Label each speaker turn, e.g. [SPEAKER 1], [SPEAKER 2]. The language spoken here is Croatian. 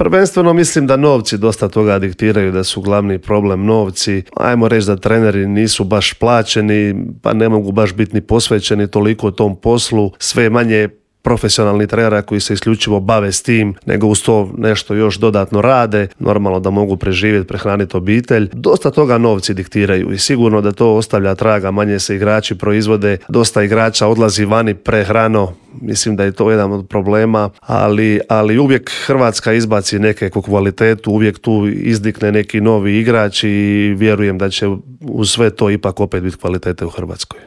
[SPEAKER 1] prvenstveno mislim da novci dosta toga diktiraju, da su glavni problem novci. Ajmo reći da treneri nisu baš plaćeni, pa ne mogu baš biti ni posvećeni toliko tom poslu. Sve je manje profesionalni trenera koji se isključivo bave s tim, nego uz to nešto još dodatno rade, normalno da mogu preživjeti, prehraniti obitelj. Dosta toga novci diktiraju i sigurno da to ostavlja traga, manje se igrači proizvode, dosta igrača odlazi vani prehrano, mislim da je to jedan od problema, ali uvijek Hrvatska izbaci neku kvalitetu, uvijek tu izdikne neki novi igrač i vjerujem da će uz sve to ipak opet biti kvalitete u Hrvatskoj.